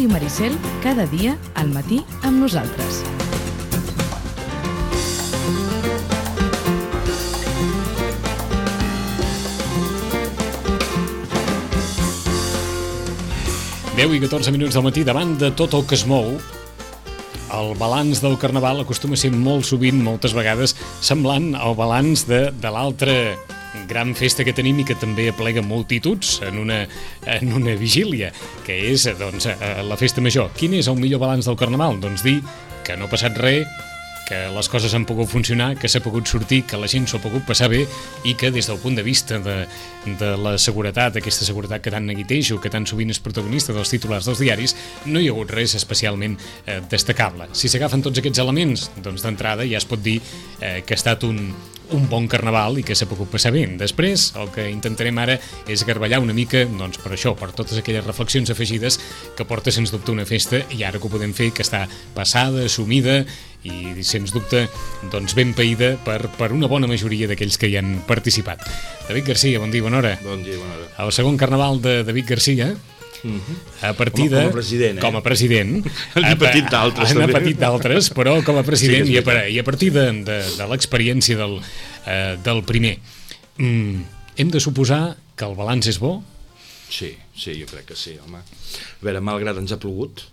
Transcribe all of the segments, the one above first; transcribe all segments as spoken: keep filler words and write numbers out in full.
Ràdio Maricel, cada dia al matí amb nosaltres. deu i catorze minuts del matí, davant de tot el que es mou, el balanç del Carnaval acostuma a ser molt sovint, moltes vegades, semblant al balanç de, de l'altra gran festa que tenim i que també aplega multituds en una, en una vigília, que és doncs, la festa major. Quin és el millor balanç del Carnaval? Doncs dir que no ha passat res, que les coses han pogut funcionar, que s'ha pogut sortir, que la gent s'ho ha pogut passar bé i que des del punt de vista de, de la seguretat, aquesta seguretat que tant neguitejo, que tan sovint és protagonista dels titulars dels diaris, no hi ha hagut res especialment eh, destacable. Si s'agafen tots aquests elements, doncs d'entrada ja es pot dir eh, que ha estat un, un bon Carnaval i que s'ha pogut passar bé. Després, el que intentarem ara és garballar una mica, doncs per això, per totes aquelles reflexions afegides que porta sens dubte una festa, i ara que ho podem fer, que està passada, assumida i sens dubte doncs ben païda per, per una bona majoria d'aquells que hi han participat. David Garcia, bon dia, bona hora. Bon dia, bona hora. El segon Carnaval de David Garcia, uh-huh. a partir de... Com a president, eh? Com a president. N'ha patit d'altres, també. N'ha patit d'altres, però com a president, sí i, a, i a partir de, de, de l'experiència del, eh, del primer. Mm, hem de suposar que el balanç és bo? Sí, sí, jo crec que sí, home. A veure, malgrat ens ha plogut,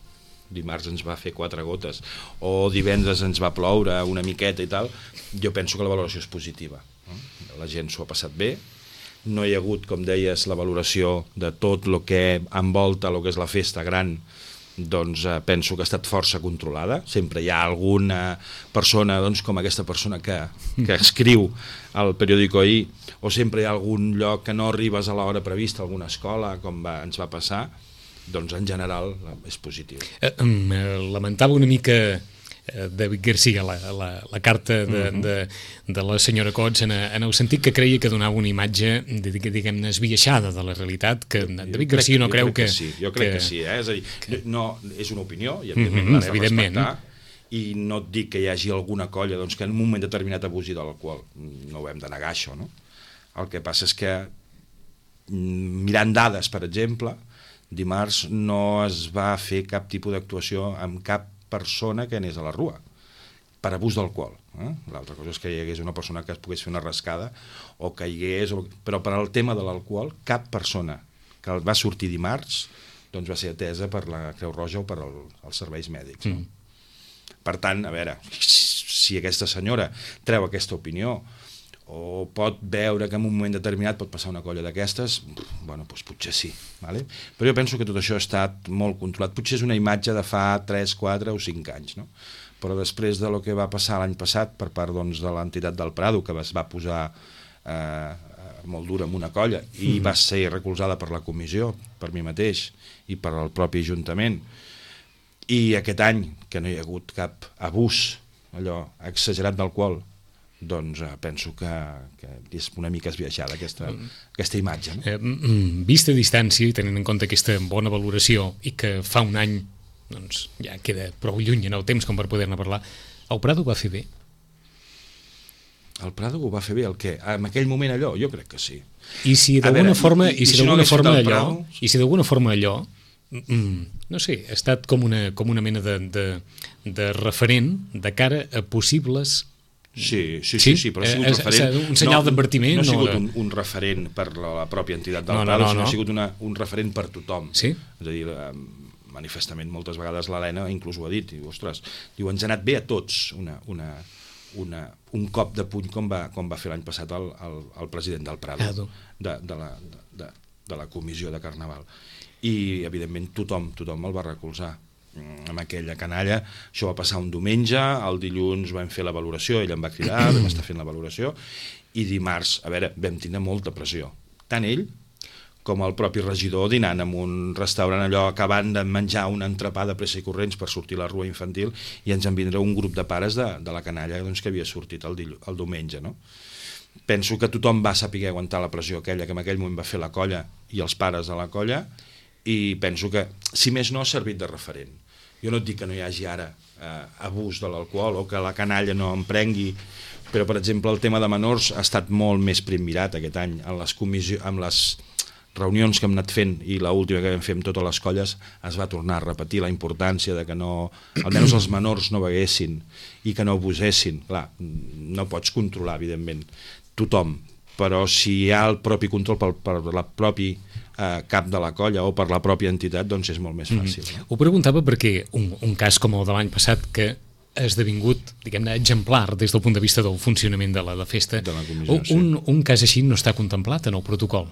dimarts ens va fer quatre gotes, o divendres ens va ploure una miqueta i tal, jo penso que la valoració és positiva. La gent s'ho ha passat bé, no hi ha hagut, com deies, la valoració de tot el que envolta el que és la festa gran, doncs eh, penso que ha estat força controlada. Sempre hi ha alguna persona, doncs, com aquesta persona que, que escriu al periòdico ahir, o sempre hi ha algun lloc que no arribes a l'hora prevista, alguna escola, com va, ens va passar, doncs en general és positiu. Eh, eh, lamentava una mica eh, David Garcia la, la, la carta de, uh-huh. de, de la senyora Cots en, en el sentit que creia que donava una imatge diguem-ne esbiaixada de la realitat, que jo David crec, Garcia no creu que... que sí, jo crec que, que sí, eh? És a dir, que... no, és una opinió i evidentment uh-huh, l'has de evidentment. respectar, i no et dic que hi hagi alguna colla doncs, que en un moment determinat abusi de l'alcohol, no ho hem de negar això, no? El que passa és que mirant dades, per exemple, dimarts no es va fer cap tipus d'actuació amb cap persona que anés a la rua per abús d'alcohol. Eh? L'altra cosa és que hi hagués una persona que es pogués fer una rascada o que hi hagués... O... Però per al tema de l'alcohol, cap persona que va sortir dimarts doncs va ser atesa per la Creu Roja o per el, els serveis mèdics. No? Mm. Per tant, a veure, si aquesta senyora treu aquesta opinió o pot veure que en un moment determinat pot passar una colla d'aquestes, bueno, doncs potser sí, vale? Però jo penso que tot això ha estat molt controlat. Potser és una imatge de fa tres, quatre o cinc anys, no? Però després de lo que va passar l'any passat per part doncs, de l'entitat del Prado, que es va posar eh, molt dura amb una colla i mm. va ser recolzada per la comissió, per mi mateix i per al propi Ajuntament, i aquest any que no hi ha hagut cap abús allò exagerat d'alcohol, doncs eh, penso que, que és una mica esbiaixada aquesta, mm. aquesta imatge. No? Eh, vista a distància i tenint en compte aquesta bona valoració i que fa un any doncs, ja queda prou lluny en el temps com per poder-ne parlar, el Prado ho va fer bé? El Prado ho va fer bé, el què? En aquell moment allò? Jo crec que sí. I si d'alguna forma, i, i, i si d'alguna no forma allò, Prado... i si d'alguna forma allò, mm, no sé, ha estat com una, com una mena de, de, de referent de cara a possibles... Sí, sí, sí, sí, però ha sigut eh, referent... Un senyal no, d'advertiment? No ha sigut no, un, un referent per la pròpia entitat del no, Prado, no, no, sinó no. ha sigut una, un referent per tothom. Sí? És a dir, manifestament moltes vegades l'Helena inclús ho ha dit, diu, ostres, diu, ens ha anat bé a tots una, una, una, un cop de puny com va, com va fer l'any passat el, el, el president del Prado, de, de, la, de, de la comissió de Carnaval. I, evidentment, tothom, tothom el va recolzar. Amb aquella canalla, això va passar un diumenge, el dilluns vam fer la valoració, ell em va cridar, vam estar fent la valoració, i dimarts, a veure, vam tindre molta pressió, tant ell com el propi regidor dinant en un restaurant allò, acabant de menjar una entrepà de pressa i corrents per sortir a la rua infantil, i ens en vindrà un grup de pares de, de la canalla doncs, que havia sortit el, dillu, el diumenge, no? Penso que tothom va saber aguantar la pressió aquella que en aquell moment va fer la colla i els pares de la colla, i penso que, si més no, ha servit de referent. Jo no et dic que no hi hagi ara eh, abús de l'alcohol o que la canalla no emprengui, però, per exemple, el tema de menors ha estat molt més prim mirat aquest any en les, comissió, en les reunions que hem anat fent i l'última que vam fer amb totes les colles es va tornar a repetir la importància de que no, almenys els menors no beguessin i que no abusessin. Clar, no pots controlar, evidentment, tothom, però si hi ha el propi control per, per la propi eh, cap de la colla o per la pròpia entitat, doncs és molt més fàcil. Mm-hmm. No? Ho preguntava perquè un, un cas com el de l'any passat que ha esdevingut, diguem-ne, exemplar des del punt de vista del funcionament de la, de festa, de la comissió, un, sí. un cas així no està contemplat en el protocol.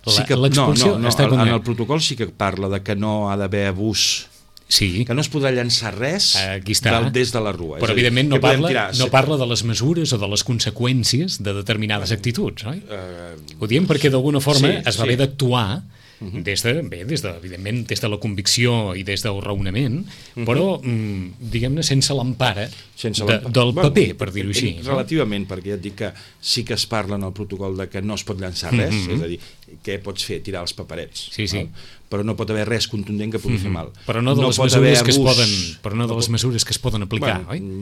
Sí que, no, no, no, està en el protocol sí que parla de que no ha d'haver abús, sí. que no es podrà llançar res del, des de la rua. Però evidentment no, parla, tirar, no parla de les mesures o de les conseqüències de determinades uh, actituds, oi? Uh, Ho diem perquè d'alguna forma sí, es va sí. haver d'actuar Uh-huh. des de, bé, des de, evidentment, des de la convicció i des del raonament, uh-huh. però, mm, diguem-ne, sense l'empara de, del paper, bueno, per dir-ho així. Relativament, no? Perquè ja et dic que sí que es parla en el protocol de que no es pot llançar res, uh-huh. és a dir, què pots fer? Tirar els paperets. Sí, sí. No? Però no pot haver res contundent que pugui uh-huh. fer mal. Però no de no les mesures que es poden, però no de les mesures que es poden aplicar, bueno,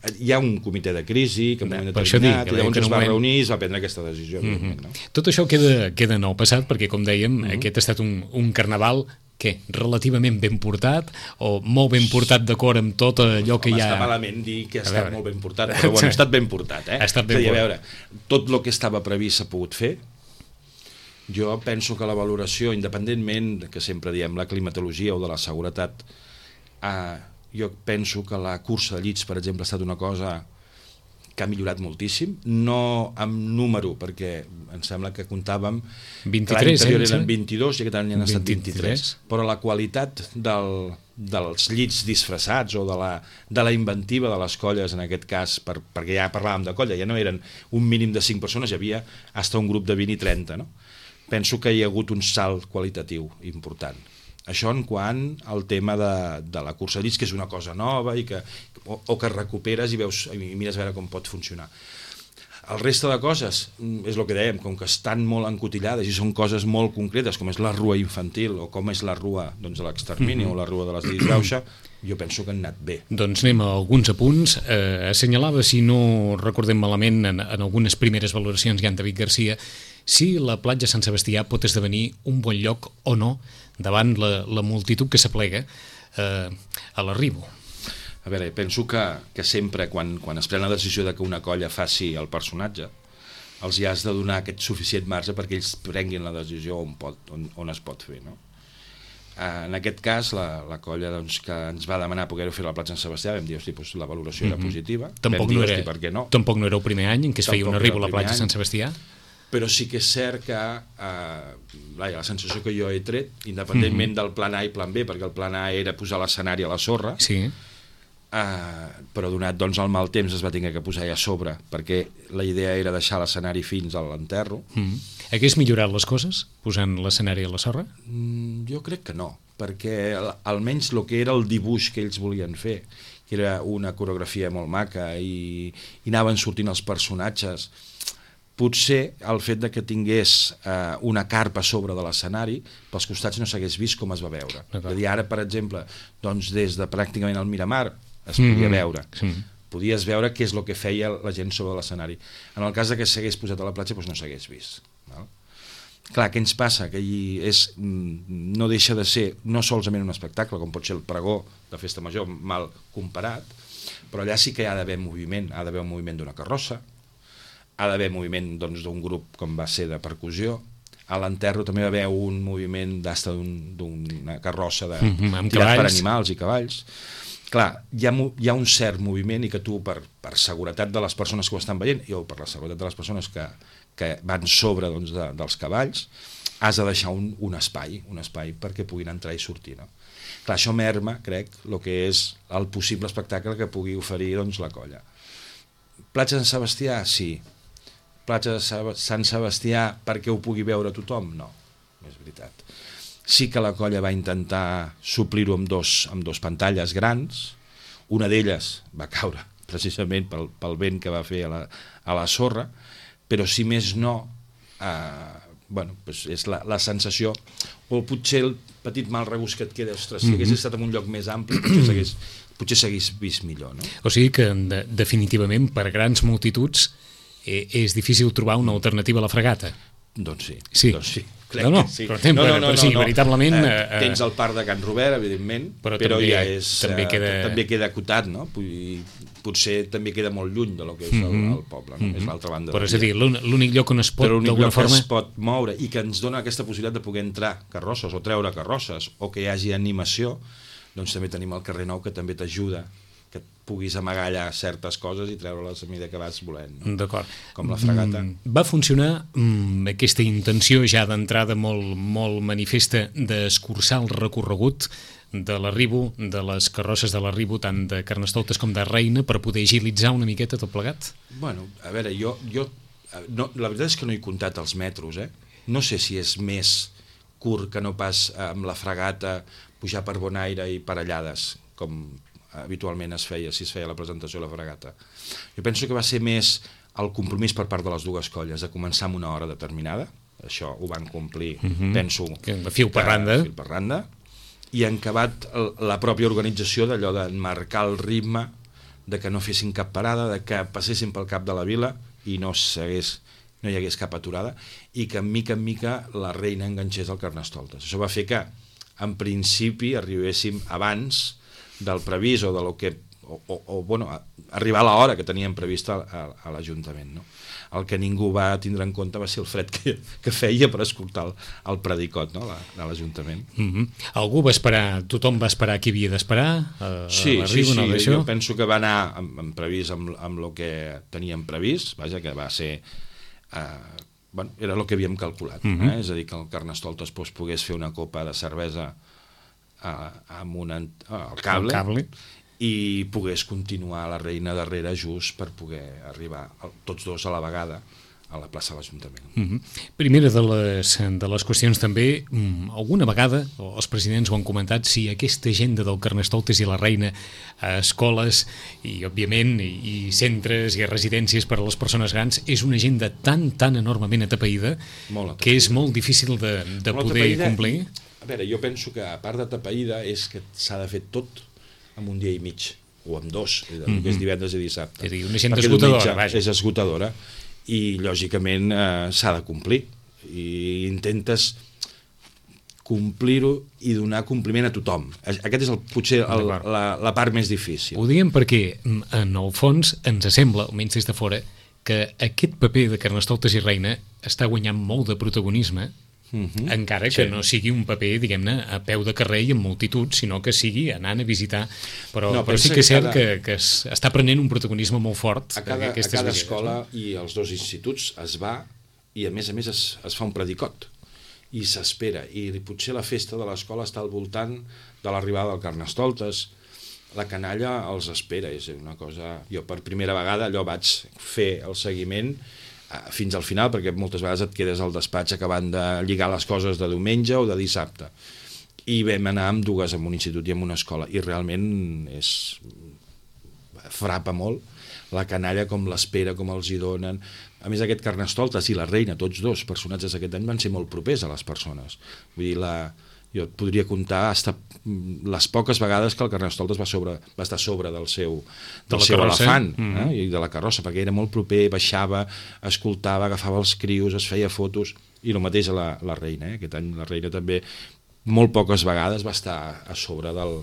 oi? Hi ha un comitè de crisi que en un moment determinat, i llavors es va reunir i es va prendre aquesta decisió. Uh-huh. No? Tot això queda, queda en el passat, perquè, com dèiem, uh-huh. aquest ha estat un, un carnaval què? Relativament ben portat o molt ben portat d'acord amb tot allò que Home, hi ha... Està malament dir que ha estat molt ben portat, però bueno, ha estat ben portat, eh? Ha estat ben dir, portat. A veure, tot el que estava previst s'ha pogut fer. Jo penso que la valoració, independentment que sempre diem la climatologia o de la seguretat, eh, jo penso que la cursa de llits, per exemple, ha estat una cosa que ha millorat moltíssim, no amb número, perquè em sembla que comptàvem vint-i-tres, l'any anterior eh, eren vint-i-dos i aquest any han estat vint-i-tres, vint-i-tres, però la qualitat del, dels llits disfressats o de la, de la inventiva de les colles, en aquest cas, per, perquè ja parlàvem de colla, ja no eren un mínim de cinc persones, hi havia fins un grup de vint i trenta, no? Penso que hi ha hagut un salt qualitatiu important. Això en quant al tema de, de la cursa de llits, que és una cosa nova i que, o, o que recuperes i veus i mires a veure com pot funcionar. El reste de coses, és el que dèiem, com que estan molt encotillades i són coses molt concretes, com és la rua infantil o com és la rua doncs, de l'extermini mm-hmm. o la rua de les disgrauxa, jo penso que han anat bé. Doncs anem a alguns apunts. Eh, assenyalava, si no recordem malament, en, en algunes primeres valoracions ja en David Garcia, si la platja Sant Sebastià pot esdevenir un bon lloc o no davant la, la multitud que s'aplega eh, a l'arribo. A veure, penso que, que sempre quan, quan es pren la decisió de que una colla faci el personatge, els hi has de donar aquest suficient marge perquè ells prenguin la decisió on, pot, on, on es pot fer, no? En aquest cas, la, la colla doncs, que ens va demanar poder-ho fer a la platja Sant Sebastià, vam dir, hosti, doncs, la valoració mm-hmm. era positiva. Tampoc, dir, no era, hosti, per què no? tampoc no era el primer any en què es feia Tampoc un arribo a la platja any. Sant Sebastià? Però sí que és cert que eh, la sensació que jo he tret, independentment mm-hmm. del plan A i plan B, perquè el plan A era posar l'escenari a la sorra, sí. eh, però donat doncs, el mal temps es va tenir que posar a sobre, perquè la idea era deixar l'escenari fins a l'enterro. Mm-hmm. Hagués millorat les coses posant l'escenari a la sorra? Mm, jo crec que no, perquè almenys el que era el dibuix que ells volien fer, que era una coreografia molt maca i, i anaven sortint els personatges, potser el fet de que tingués eh, una carpa a sobre de l'escenari pels costats no s'hagués vist com es va veure. És a dir, ara, per exemple, doncs, des de pràcticament el Miramar es podia mm-hmm. veure. Sí. Podies veure què és el que feia la gent sobre l'escenari. En el cas de que s'hagués posat a la platja, doncs no s'hagués vist. No? Clar, què ens passa? Que és, no deixa de ser no solament un espectacle, com pot ser el pregó de Festa Major, mal comparat, però allà sí que hi ha d'haver moviment, ha d'haver un moviment d'una carrossa, ha d'haver moviment d'un doncs, grup com va ser de percussió, a l'enterro també va haver un moviment d'asta d'una carrossa de, mm-hmm, tirat per animals i cavalls. Clar, hi ha, hi ha un cert moviment i que tu, per, per seguretat de les persones que ho estan veient i o per la seguretat de les persones que, que van sobre doncs, de, dels cavalls, has de deixar un, un espai, un espai perquè puguin entrar i sortir. No? Clar, això merma, crec, el que és el possible espectacle que pugui oferir doncs, la colla. Platja Sant Sebastià, sí. Platja de Sant Sebastià perquè ho pugui veure tothom? No, és veritat. Sí que la colla va intentar suplir-ho amb dos, amb dos pantalles grans, una d'elles va caure precisament pel, pel vent que va fer a la, a la sorra, però si més no, eh, bueno, doncs és la, la sensació, o potser el petit mal regust que et queda, ostres, si hagués estat en un lloc més ampli, potser s'hagués, potser s'hagués vist millor. No? O sigui que de, definitivament per grans multituds eh, és difícil trobar una alternativa a la fregata. Doncs sí. Sí. Doncs sí. No, no, sí. però, no, no, no, però sí, no, no. veritablement... Eh, eh, tens el parc de Can Robert, evidentment, però, però també, ja és... També queda... Eh, també queda acotat, no? Potser també queda molt lluny de lo que és el, el poble, no? Mm -hmm. És l'altra banda. Però és a dir, l'únic lloc on es pot, d'alguna forma... es pot moure i que ens dona aquesta possibilitat de poder entrar carrosses o treure carrosses o que hi hagi animació, doncs també tenim el carrer Nou que també t'ajuda que puguis amagar allà certes coses i treure-les a mesura que vas volent. No? D'acord. Com la fregata. Mm, va funcionar mm, aquesta intenció ja d'entrada molt, molt manifesta d'escurçar el recorregut de l'arribo, de les carrosses de l'arribo, tant de Carnestoltes com de Reina, per poder agilitzar una miqueta tot plegat? Bueno, a veure, jo... jo no, la veritat és que no he comptat els metros, eh? No sé si és més curt que no pas amb la fregata, pujar per Bonaire i per Allades, com habitualment es feia, si es feia la presentació de la fregata. Jo penso que va ser més el compromís per part de les dues colles, de començar amb una hora determinada, això ho van complir, uh -huh. penso... Que fil per randa. Fil per randa, i en acabat la pròpia organització d'allò de marcar el ritme, de que no fessin cap parada, de que passessin pel cap de la vila i no s'hagués, no hi hagués cap aturada, i que en mica en mica la Reina enganxés al Carnestoltes. Això va fer que, en principi, arribéssim abans del previst o de lo que o, o, o bueno, arribar a l'hora que teníem prevista a, a, a l'Ajuntament, no? El que ningú va tindre en compte va ser el fred que, que feia per escoltar el, el predicot, no? La, de l'Ajuntament. Mm -hmm. Algú va esperar, tothom va esperar qui havia d'esperar? A, sí, a sí, sí, no, jo penso que va anar amb, amb previst amb, amb el que teníem previst, vaja, que va ser eh, bueno, era el que havíem calculat, mm -hmm. eh? És a dir, que el Carnestoltes pues, pogués fer una copa de cervesa amb un al cable, cable i pogués continuar la Reina darrere just per poder arribar tots dos a la vegada a la plaça de l'Ajuntament. Mm -hmm. Primera de les, de les qüestions també, alguna vegada els presidents ho han comentat, si aquesta agenda del Carnestoltes i la Reina a escoles i òbviament i, i centres i residències per a les persones grans és una agenda tan tan enormement atapeïda, atapeïda. que és molt difícil de, de poder complir. A veure, jo penso que a part de tapeïda és que s'ha de fer tot en un dia i mig, o en dos, mm -hmm. que és divendres i dissabte. És a dir, una agenda esgotadora, vaja. És esgotadora, i lògicament eh, s'ha de complir, i intentes complir-ho i donar compliment a tothom. Aquest és el, potser el, la, la part més difícil. Ho diem perquè, en el fons, ens sembla, almenys des de fora, que aquest paper de Carnestoltes i Reina està guanyant molt de protagonisme, Uh -huh. encara que sí. no sigui un paper, diguem-ne, a peu de carrer i en multitud, sinó que sigui anant a visitar, però, no, però sí que és cert que, cada... que, que es, està prenent un protagonisme molt fort. A cada, a cada escola no? I els dos instituts es va i a més a més es, es fa un predicot i s'espera, i potser la festa de l'escola està al voltant de l'arribada del Carnestoltes, la canalla els espera, és una cosa... Jo per primera vegada allò vaig fer el seguiment fins al final, perquè moltes vegades et quedes al despatx acabant de lligar les coses de diumenge o de dissabte, i vam anar amb dues, en un institut i en una escola, i realment és frapa molt la canalla, com l'espera, com els hi donen. A més, aquest Carnestoltes i la Reina, tots dos personatges aquest any van ser molt propers a les persones, vull dir, la... jo et podria contar hasta les poques vegades que el Carnestoltes va, sobre, va estar sobre del seu, del de seu elefant, mm-hmm. eh? I de la carrossa, perquè era molt proper, baixava, escoltava, agafava els crios, es feia fotos, i el mateix a la, la Reina, eh? Aquest any la Reina també molt poques vegades va estar a sobre del,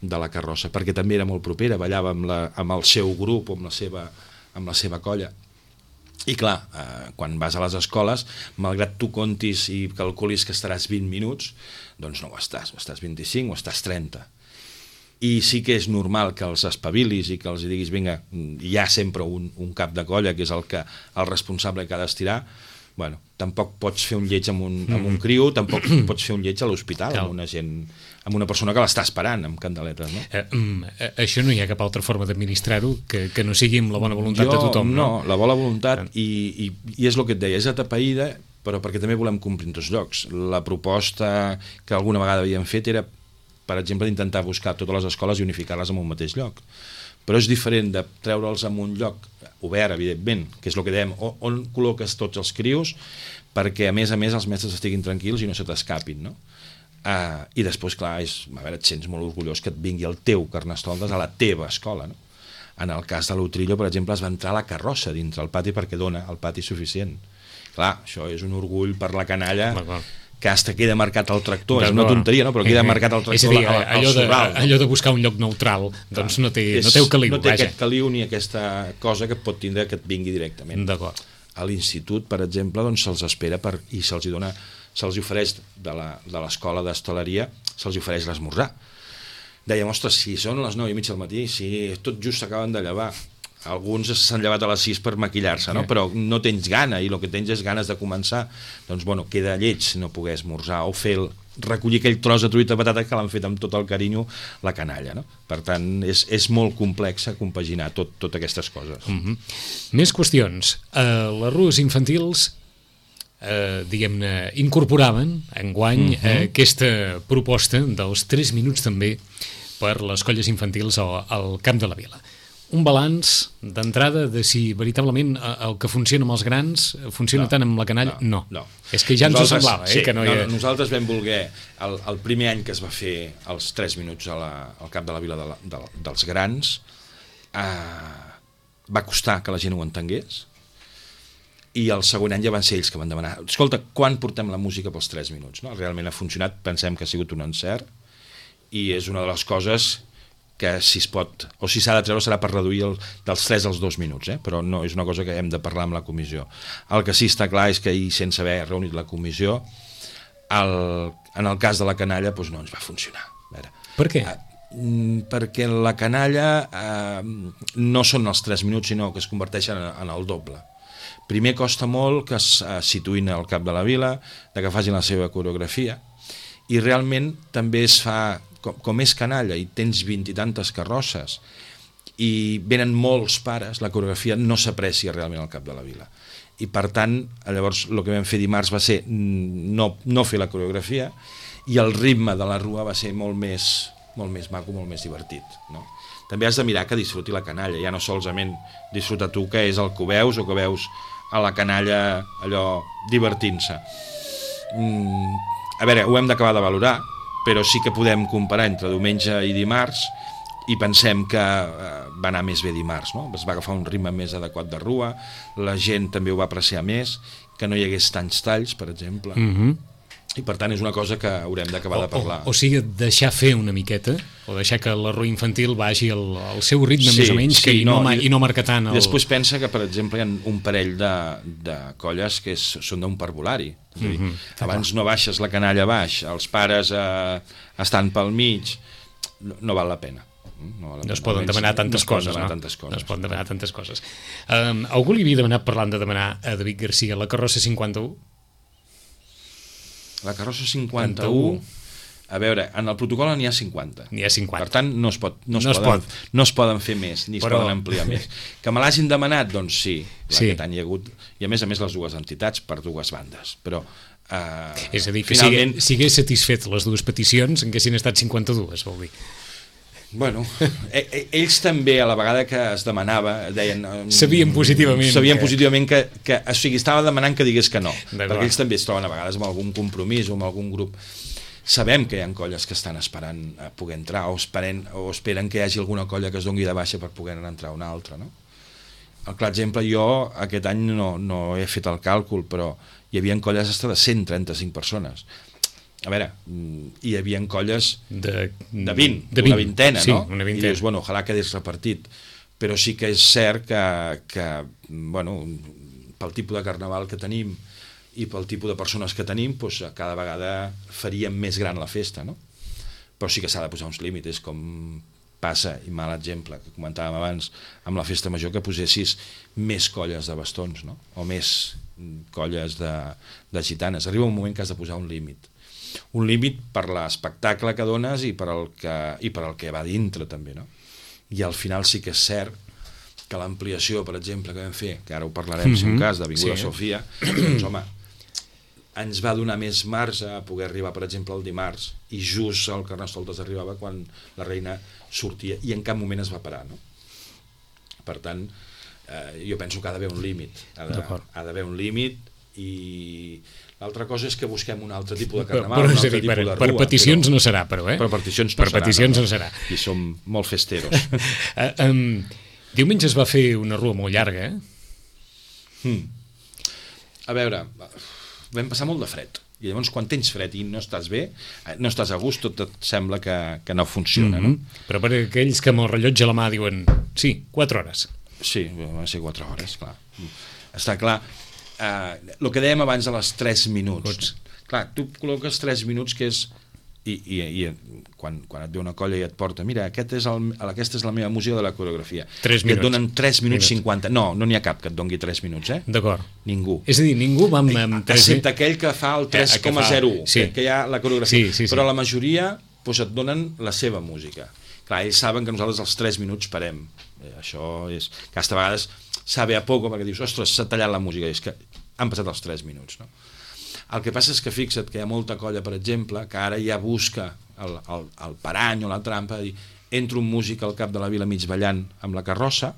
de la carrossa, perquè també era molt propera, ballava amb, la, amb el seu grup o amb la seva, amb la seva colla. I clar, eh, quan vas a les escoles, malgrat tu contis i calculis que estaràs vint minuts, doncs no ho estàs, o estàs vint-i-cinc o estàs trenta. I sí que és normal que els espavilis i que els diguis, vinga, hi ha sempre un, un cap de colla, que és el, que, el responsable que ha d'estirar. Bueno, tampoc pots fer un lleig amb un, amb un criu, tampoc pots fer un lleig a l'hospital amb una gent, amb una persona que l'està esperant amb candeletes, no? Eh, eh, això no hi ha cap altra forma d'administrar-ho que, que no sigui amb la bona voluntat jo, de tothom, no? No, la bona voluntat, i, i, i és el que et deia, és atapeïda, però perquè també volem complir en tots llocs. La proposta que alguna vegada havíem fet era, per exemple, d'intentar buscar totes les escoles i unificar-les en un mateix lloc. Però és diferent de treure'ls en un lloc obert, evidentment, que és el que dèiem, on col·loques tots els crios perquè, a més a més, els mestres estiguin tranquils i no se t'escapin, no? Uh, I després, clar, és, a veure, et sents molt orgullós que et vingui el teu Carnestoltes a la teva escola, no? En el cas de l'Utrillo, per exemple, es va entrar a la carrossa dintre el pati perquè dona el pati suficient. Clar, això és un orgull per la canalla, D'acord. que hasta queda marcat el tractor, és una tonteria, no? Però queda marcat el tractor és a dir, al, al allò, de, sorral. allò de buscar un lloc neutral, doncs no té, és, no té el caliu, no té vaja. aquest caliu ni aquesta cosa que pot tindre que et vingui directament. D'acord. A l'institut, per exemple, doncs se'ls espera per, i se'ls dona, se'ls ofereix de l'escola d'hostaleria, se'ls ofereix l'esmorzar. Dèiem, ostres, si són les nou i mitja del matí, si tot just s'acaben de llevar, alguns s'han llevat a les sis per maquillar-se, no? Però no tens gana i el que tens és ganes de començar, doncs bueno, queda lleig si no poder esmorzar o fer el, recollir aquell tros de truita de patata que l'han fet amb tot el carinyo la canalla, no? Per tant, és, és molt complex compaginar tot, tot aquestes coses. Mm-hmm. Més qüestions. Uh, les rues infantils uh, diguem-ne, incorporaven enguany mm-hmm. uh, aquesta proposta dels tres minuts també per les colles infantils al, al Camp de la Vila. Un balanç d'entrada de si veritablement el que funciona amb els grans funciona no, tant amb la canalla? No. no. no. És que ja ens nosaltres, ho semblava, eh? Sí, que no, hi ha... no, nosaltres vam voler, el, el primer any que es va fer els tres minuts a la, al Camp de la Vila de la, de, dels grans, eh, va costar que la gent ho entengués, i el segon any ja van ser ells que van demanar, escolta, quan portem la música pels tres minuts? No? Realment ha funcionat, pensem que ha sigut un encert, i és una de les coses que si es pot, o si s'ha de treure serà per reduir el, dels tres als dos minuts, eh? Però no és una cosa que hem de parlar amb la comissió. El que sí està clar és que ahir, sense haver reunit la comissió, el, en el cas de la canalla doncs no ens va funcionar. A veure, per què? Eh, perquè la canalla eh, no són els tres minuts, sinó que es converteixen en, en el doble. Primer costa molt que es eh, situïn al Camp de la Vila, de que facin la seva coreografia, i realment també es fa... Com, com és canalla i tens vint i tantes carrosses i venen molts pares, la coreografia no s'aprecia realment al Cap de la Vila. I per tant, llavors el que vam fer dimarts va ser no, no fer la coreografia, i el ritme de la rua va ser molt més, molt més maco, molt més divertit, no? També has de mirar que disfruti la canalla, ja no solament disfruta tu que és el que veus o que veus a la canalla allò divertint-se. Mm, a veure, ho hem d'acabar de valorar, però sí que podem comparar entre diumenge i dimarts i pensem que va anar més bé dimarts, no? Es va agafar un ritme més adequat de rua, la gent també ho va apreciar més, que no hi hagués tants talls, per exemple, mm-hmm. i per tant és una cosa que haurem d'acabar de parlar. O, o, o sigui, deixar fer una miqueta, o deixar que la rua infantil vagi al, al seu ritme sí, més o menys, sí, que i, no, no, i, i no marcar tant el... Després pensa que, per exemple, hi ha un parell de, de colles que és, són d'un parvulari. És a dir, mm-hmm. abans no baixes la canalla baix, els pares eh, estan pel mig, no, no val la pena. No, no es poden demanar tantes no coses, demanar no? Tantes coses. No es poden demanar tantes coses. Um, algú li havia demanat, parlant de demanar a David Garcia, la carrossa cinquanta-u? La carrossa cinquanta-u... A veure, en el protocol n'hi ha cinquanta. N'hi ha cinquanta. Per tant, no es, pot, no es, no es poden, pot. no es poden fer més, ni Però... es poden ampliar més. Que me l'hagin demanat, doncs sí, sí. Aquest any hi ha hagut, i a més a més les dues entitats per dues bandes, però... Uh, és a dir, que finalment... si hagués satisfet les dues peticions, en haguessin estat cinquanta-dues, vol dir. Bueno, ells també a la vegada que es demanava deien... Sabien positivament. Sabien que... positivament que, que... O sigui, estava demanant que digués que no, perquè ells també es troben a vegades amb algun compromís o amb algun grup. Sabem que hi ha colles que estan esperant a poder entrar o esperen, o esperen que hi hagi alguna colla que es doni de baixa per poder entrar una altra, no? El clar exemple, jo aquest any no, no he fet el càlcul, però hi havia colles hasta de cent trenta-cinc persones. A veure, hi havia colles de, de vint, de vint, una vintena, sí, no? Una vintena. I dius, bueno, ojalà quedés repartit. Però sí que és cert que, que bueno, pel tipus de carnaval que tenim i pel tipus de persones que tenim, doncs, cada vegada faríem més gran la festa, no? Però sí que s'ha de posar uns límits, com passa, i mal exemple, que comentàvem abans, amb la festa major, que posessis més colles de bastons, no? O més colles de, de gitanes. Arriba un moment que has de posar un límit. Un límit per l'espectacle que dones i per el que, i per el que va dintre, també, no? I al final sí que és cert que l'ampliació, per exemple, que vam fer, que ara ho parlarem, mm-hmm. si un cas, d'Avinguda sí. Sofia, doncs, home, ens va donar més marge a poder arribar, per exemple, el dimarts, i just el Carnestoltes arribava quan la reina sortia, i en cap moment es va parar, no? Per tant, eh, jo penso que ha d'haver un límit, ha d'haver un límit, i l'altra cosa és que busquem un altre tipus de carnaval, però, un altre dir, tipus per, de rua. Per peticions però, no serà, però, eh? Per peticions no per serà. Peticions no, no serà. I som molt festeros. uh, um, diumenge es va fer una rua molt llarga, eh? Hmm. a veure, vam passar molt de fred. I llavors, quan tens fred i no estàs bé, no estàs a gust, tot et sembla que, que no funciona, mm-hmm. no? Però per aquells que amb el rellotge a la mà diuen sí, quatre hores. Sí, va ser quatre hores, clar. Està clar. Eh, el que dèiem abans de les tres minuts. Pots. Clar, tu col·loques tres minuts, que és... I, i, i quan, quan et ve una colla i et porta, mira, aquest és el, aquesta és la meva música de la coreografia. tres minuts. I et donen tres minuts cinquanta. No, no n'hi ha cap que et doni tres minuts, eh? D'acord. Ningú. És a dir, ningú va amb, amb tres... Excepte aquell que fa el tres coma zero u, sí. que, que hi ha la coreografia. Sí, sí, sí. Però la majoria doncs, et donen la seva música. Clar, ells saben que nosaltres els tres minuts parem. Eh, això és... Aquesta vegades sabe a poco, perquè dius, ostres, s'ha tallat la música. I és que han passat els tres minuts, no? El que passa és que fixa't que hi ha molta colla, per exemple, que ara ja busca el, el, el parany o la trampa, de dir, entro un músic al cap de la vila mig ballant amb la carrossa,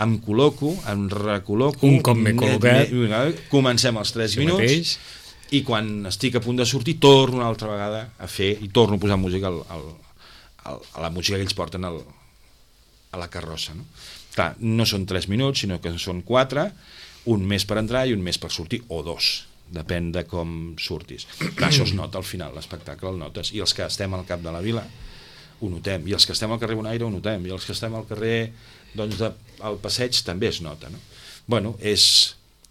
em col·loco, em recol·loco... Un cop m'he col·locat... Comencem els tres minuts, mateix. I quan estic a punt de sortir, torno una altra vegada a fer, i torno a posar música al, al, al, a la música que ells porten al, a la carrossa, no? Clar, no són tres minuts, sinó que són quatre, un més per entrar i un més per sortir, o dos. Depèn de com surtis. Clar, això es nota al final, l'espectacle el notes, i els que estem al cap de la vila ho notem, i els que estem al carrer Bonaire ho notem, i els que estem al carrer doncs, de, al passeig també es nota, no? Bueno, és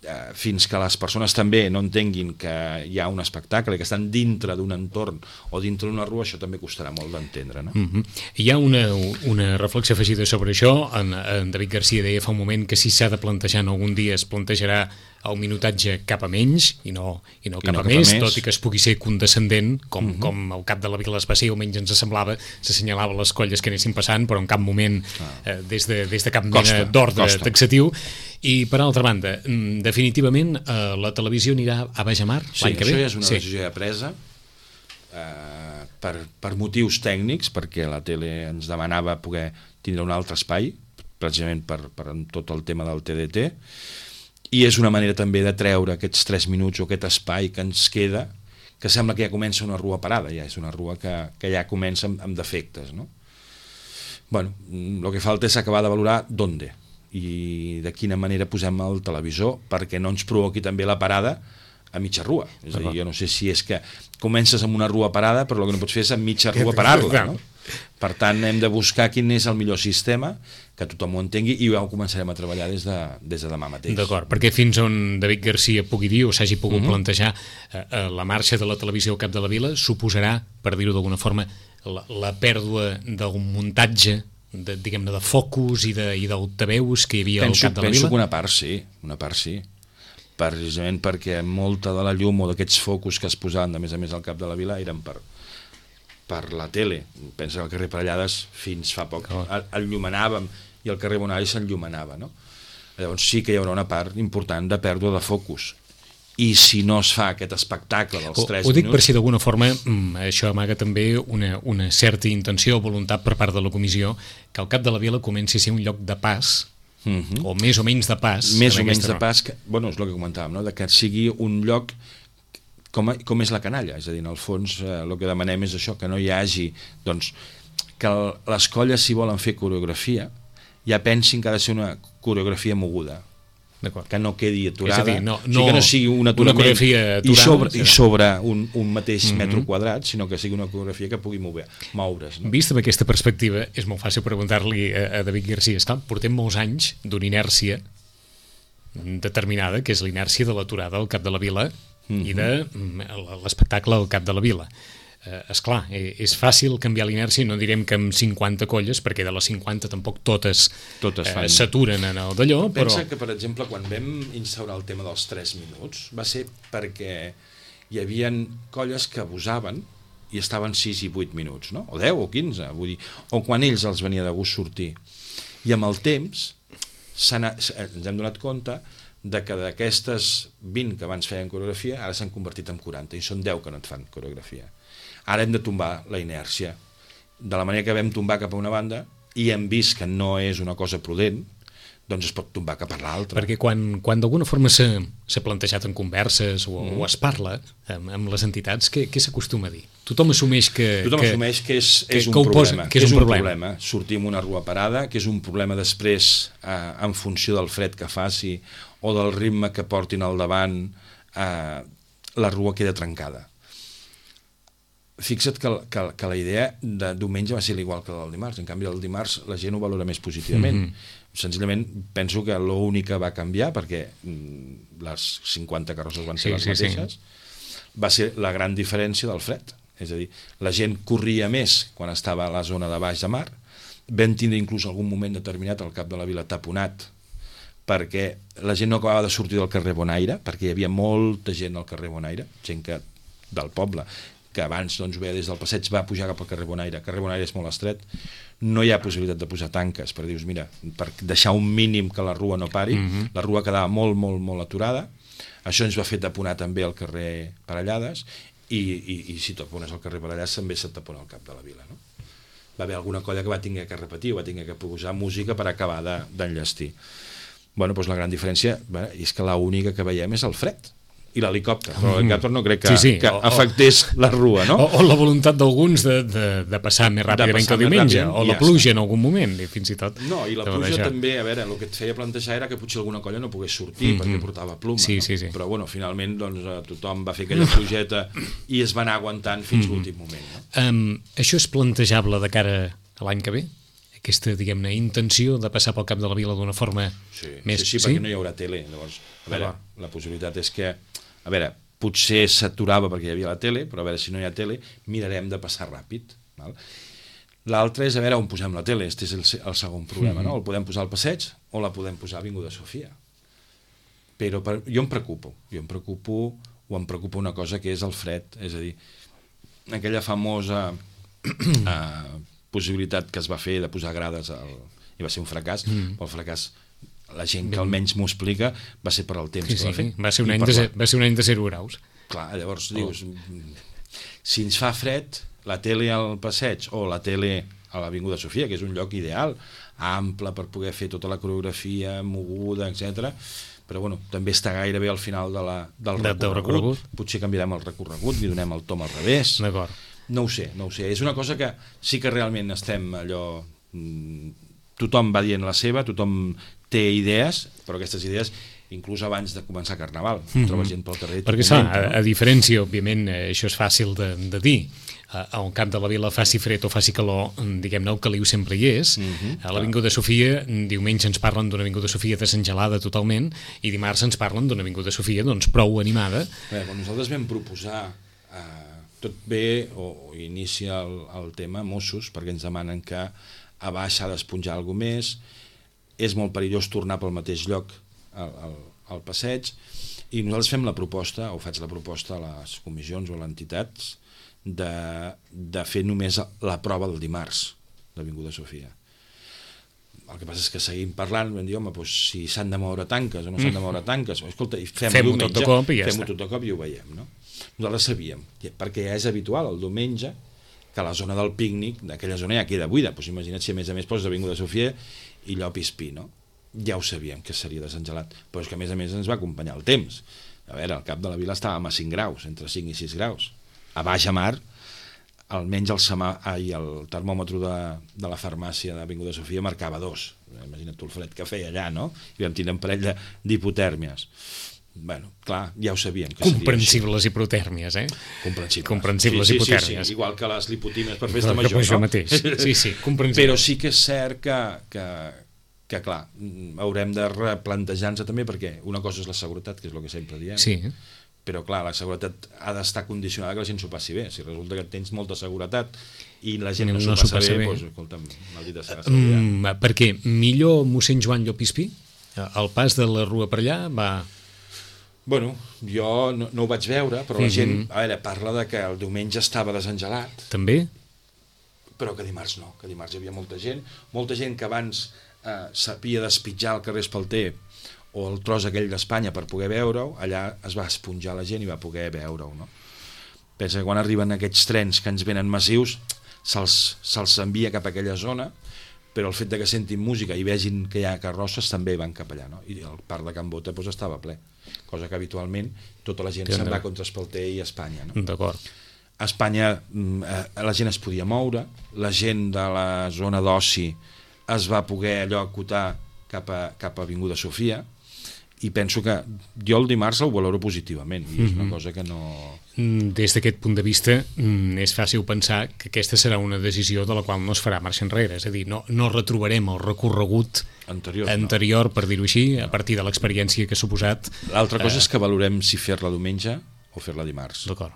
eh, fins que les persones també no entenguin que hi ha un espectacle, que estan dintre d'un entorn o dintre d'una rua, això també costarà molt d'entendre, no? Mm-hmm. Hi ha una, una reflexió afegida sobre això. En, en David Garcia deia fa un moment que si s'ha de plantejar en algun dia es plantejarà el minutatge cap a menys i no, i no cap, I no a, cap més, a més, tot i que es pugui ser condescendent, com, mm-hmm. com el cap de la vila es va ser, almenys ens semblava, s'assenyalava les colles que anessin passant, però en cap moment, ah. eh, des, de, des de cap mena d'ordre taxatiu. I per altra banda, definitivament eh, la televisió anirà a baix a mar sí, l'any que ve? Sí, això ja és una sí. decisió ja presa eh, per, per motius tècnics, perquè la tele ens demanava poder tindre un altre espai, precisament per, per tot el tema del T D T, i és una manera també de treure aquests tres minuts o aquest espai que ens queda, que sembla que ja comença una rua parada, ja és una rua que, que ja comença amb, amb defectes, no? Bueno, el que falta és acabar de valorar d'onde i de quina manera posem el televisor perquè no ens provoqui també la parada a mitja rua. És a dir, jo no sé si és que comences amb una rua parada, però el que no pots fer és a mitja rua parar-la, no? Per tant, hem de buscar quin és el millor sistema, que tothom ho entengui, i ja ho començarem a treballar des de, des de demà mateix. D'acord, perquè fins on David Garcia pugui dir o s'hagi pogut mm-hmm. plantejar eh, la marxa de la televisió al cap de la vila suposarà, per dir-ho d'alguna forma, la, la pèrdua d'un muntatge de, diguem-ne, de focus i d'altaveus que hi havia penso, al cap de la penso vila? Penso que una part sí, una part sí. Precisament perquè molta de la llum o d'aquests focus que es posaven, de més a més, al cap de la vila eren per, per la tele. Pensa que al carrer Parellades fins fa poc oh. enllumenàvem i el carrer Bonaire s'enllumenava, no? Llavors sí que hi haurà una part important de pèrdua de focus. I si no es fa aquest espectacle dels tres minuts... Ho dic per si d'alguna forma això amaga també una, una certa intenció o voluntat per part de la comissió que el cap de la vila comenci a ser un lloc de pas, mm-hmm. o més o menys de pas. Més o menys de pas, que, bueno, és el que comentàvem, no? De que sigui un lloc com, a, com és la canalla, és a dir, en el fons eh, el que demanem és això, que no hi hagi, doncs, que el, les colles si volen fer coreografia ja pensin que ha de ser una coreografia moguda, que no quedi aturada, dir, no, no, o sigui que no sigui un aturament una aturada, i sobre, i sobre un, un mateix mm-hmm. metro quadrat, sinó que sigui una coreografia que pugui moure, moure's. No? Vist amb aquesta perspectiva, és molt fàcil preguntar-li a, a David Garcia. Esclar, portem molts anys d'una inèrcia determinada, que és l'inèrcia de l'aturada al cap de la vila mm-hmm. i de l'espectacle al cap de la vila. Eh, esclar, eh, és fàcil canviar l'inèrcia, no direm que amb cinquanta colles, perquè de les cinquanta tampoc totes, totes eh, s'aturen en el d'allò, però... Pensa que, per exemple, quan vam instaurar el tema dels tres minuts, va ser perquè hi havia colles que abusaven i estaven sis i vuit minuts, no? O deu o quinze, vull dir, o quan ells els venia de gust sortir. I amb el temps ens hem donat compte de que d'aquestes vint que abans feien coreografia, ara s'han convertit en quaranta, i són deu que no et fan coreografia. Ara hem de tombar la inèrcia. De la manera que vam tombar cap a una banda i hem vist que no és una cosa prudent, doncs es pot tombar cap a l'altre. Perquè quan, quan d'alguna forma s'ha plantejat en converses o, mm. o es parla amb, amb les entitats, què, què s'acostuma a dir? Tothom assumeix que... Tothom que, assumeix que és, que, és un que problema. Posa, que és, és un, un problema. problema. Sortim una rua parada, que és un problema després eh, en funció del fred que faci o del ritme que portin al davant, eh, la rua queda trencada. Fixa't que, que, que la idea de diumenge va ser igual que la del dimarts. En canvi, el dimarts la gent ho valora més positivament. Mm-hmm. Senzillament penso que l'únic que va canviar, perquè les cinquanta carrosses van ser sí, les sí, mateixes, sí. va ser la gran diferència del fred. És a dir, la gent corria més quan estava a la zona de baix de mar, vam tindre inclús algun moment determinat al cap de la vila taponat, perquè la gent no acabava de sortir del carrer Bonaire, perquè hi havia molta gent al carrer Bonaire, gent que, del poble, que abans doncs, ve des del passeig va pujar cap al carrer Bonaire. El carrer Bonaire és molt estret, no hi ha possibilitat de posar tanques, per dir, mira, per deixar un mínim que la rua no pari, mm-hmm. la rua quedava molt, molt, molt aturada, això ens va fer taponar també el carrer Parellades, i, i, i si tapones el carrer Parellades també se't tapona el cap de la vila, no? Va haver alguna colla que va tenir que repetir, va tenir que posar música per acabar d'enllestir. Bueno, doncs la gran diferència bé, és que l'única que veiem és el fred i l'helicòpter, però l'helicòpter no crec que, sí, sí. que o, afectés la rua, no? O, o la voluntat d'alguns de, de, de passar més ràpidament que el diumenge, ràpidament, o la pluja en algun moment, i fins i tot... No, i la pluja deixar. també, a veure, el que et feia plantejar era que potser alguna colla no pogués sortir mm-hmm. perquè portava pluma, sí, no? sí, sí. Però bueno, finalment doncs, tothom va fer aquella plugeta i es va anar aguantant fins mm-hmm. l'últim moment. No? Um, això és plantejable de cara a l'any que ve? Aquesta, diguem-ne, intenció de passar pel cap de la vila d'una forma sí, més... Sí, sí, perquè sí? no hi haurà tele. Llavors, a veure, la possibilitat és que, a veure, potser s'aturava perquè hi havia la tele, però a veure, si no hi ha tele, mirarem de passar ràpid. Val? L'altre és a veure on posem la tele, este és el, el segon problema, mm-hmm. no? El podem posar al passeig o la podem posar a Avinguda Sofia. Però per, jo em preocupo, jo em preocupo, o em preocupa una cosa que és el fred, és a dir, aquella famosa eh, possibilitat que es va fer de posar grades, al, i va ser un fracàs, mm. el fracàs la gent que almenys m'ho explica va ser per al temps sí, que va sí, fer. Va ser un any, de, va ser un any de zero graus. Clar, llavors oh. dius, si ens fa fred, la tele al passeig o la tele a l'Avinguda Sofia, que és un lloc ideal, ample per poder fer tota la coreografia, moguda, etcètera, però bueno, també està gairebé al final de la, del de, recorregut. recorregut. Potser canviarem el recorregut, li donem el tom al revés. D'acord. No ho sé, no ho sé. És una cosa que sí que realment estem allò... Tothom va dient la seva, tothom té idees, però aquestes idees inclús abans de començar Carnaval mm-hmm. trobes gent pel carrer. Perquè moment, a, a diferència, òbviament, això és fàcil de, de dir, a un camp de la vila faci fred o faci calor, diguem-ne, el caliu sempre hi és. Mm-hmm, a l'Avinguda Sofia, diumenge ens parlen d'una Avinguda Sofia desengelada totalment, i dimarts ens parlen d'una Avinguda Sofia doncs prou animada. Bé, quan nosaltres vam proposar eh, tot bé, o, o inicia el, el tema Mossos, perquè ens demanen que a baix s'ha d'esponjar alguna més, és molt perillós tornar pel mateix lloc al, al, al passeig, i nosaltres fem la proposta, o faig la proposta a les comissions o a les entitats, de, de fer només la prova del dimarts d'Avinguda Sofia. El que passa és que seguim parlant, vam dir, home, doncs, si s'han de moure tanques o no s'han de moure tanques, escolta, fem-ho fem tot de cop i ja fem-ho està. tot de cop i ho veiem, no? Nosaltres sabíem, perquè ja és habitual el diumenge que la zona del pícnic, d'aquella zona ja queda buida, doncs imagina't si a més a més poses Avinguda Sofia i Llop i Espí, no? Ja ho sabíem que seria desengelat, però és que a més a més ens va acompanyar el temps. A veure, al cap de la vila estàvem a cinc graus, entre cinc i sis graus. A baix a mar, almenys el, semà, ai, el termòmetre de, de la farmàcia d'Avinguda Sofia marcava dos. Imagina't tu el fred que feia allà, no? I vam tenir un parell d'hipotèrmies. Bueno, clar, ja ho sabíem que comprensibles hipotèrmies, eh? Comprensibles, comprensibles sí, sí, hipotèrmies. Sí, sí, igual que les lipotímies per festa major, això no? mateix. Sí, sí, comprensibles. Però sí que és cert que, que, que clar, haurem de replantejar-nos també, perquè una cosa és la seguretat, que és el que sempre diem, sí. Però clar, la seguretat ha d'estar condicionada que la gent s'ho passi bé. Si resulta que tens molta seguretat i la gent no, no s'ho passa, passa bé, bé. Doncs, escolta'm, maldita serà mm, perquè millor mossèn Joan Llopispí, el pas de la rua per allà va... Bueno, jo no, no ho vaig veure, però la gent, a veure, parla de que el diumenge estava desengelat. També? Però que dimarts no, que dimarts hi havia molta gent, molta gent que abans eh, sabia despitjar el carrer Espalter o el tros aquell d'Espanya per poder veure-ho, allà es va esponjar la gent i va poder veure-ho, no? Pensa que quan arriben aquests trens que ens venen massius, se'ls se'ls envia cap a aquella zona, però el fet de que sentin música i vegin que hi ha carrosses també van cap allà, no? I el parc de Can Bota doncs, estava ple, cosa que habitualment tota la gent se'n va contra Espalter i Espanya, no? D'acord. A Espanya la gent es podia moure, la gent de la zona d'oci es va poder allò acotar cap a, cap a Avinguda Sofia, i penso que jo el dimarts el valoro positivament, i és una cosa que no... Des d'aquest punt de vista és fàcil pensar que aquesta serà una decisió de la qual no es farà marxa enrere, és a dir, no, no retrobarem el recorregut anterior, anterior no. per dir-ho així, a partir de l'experiència que ha suposat. L'altra cosa eh... és que valorem si fer-la diumenge o fer-la dimarts. D'acord.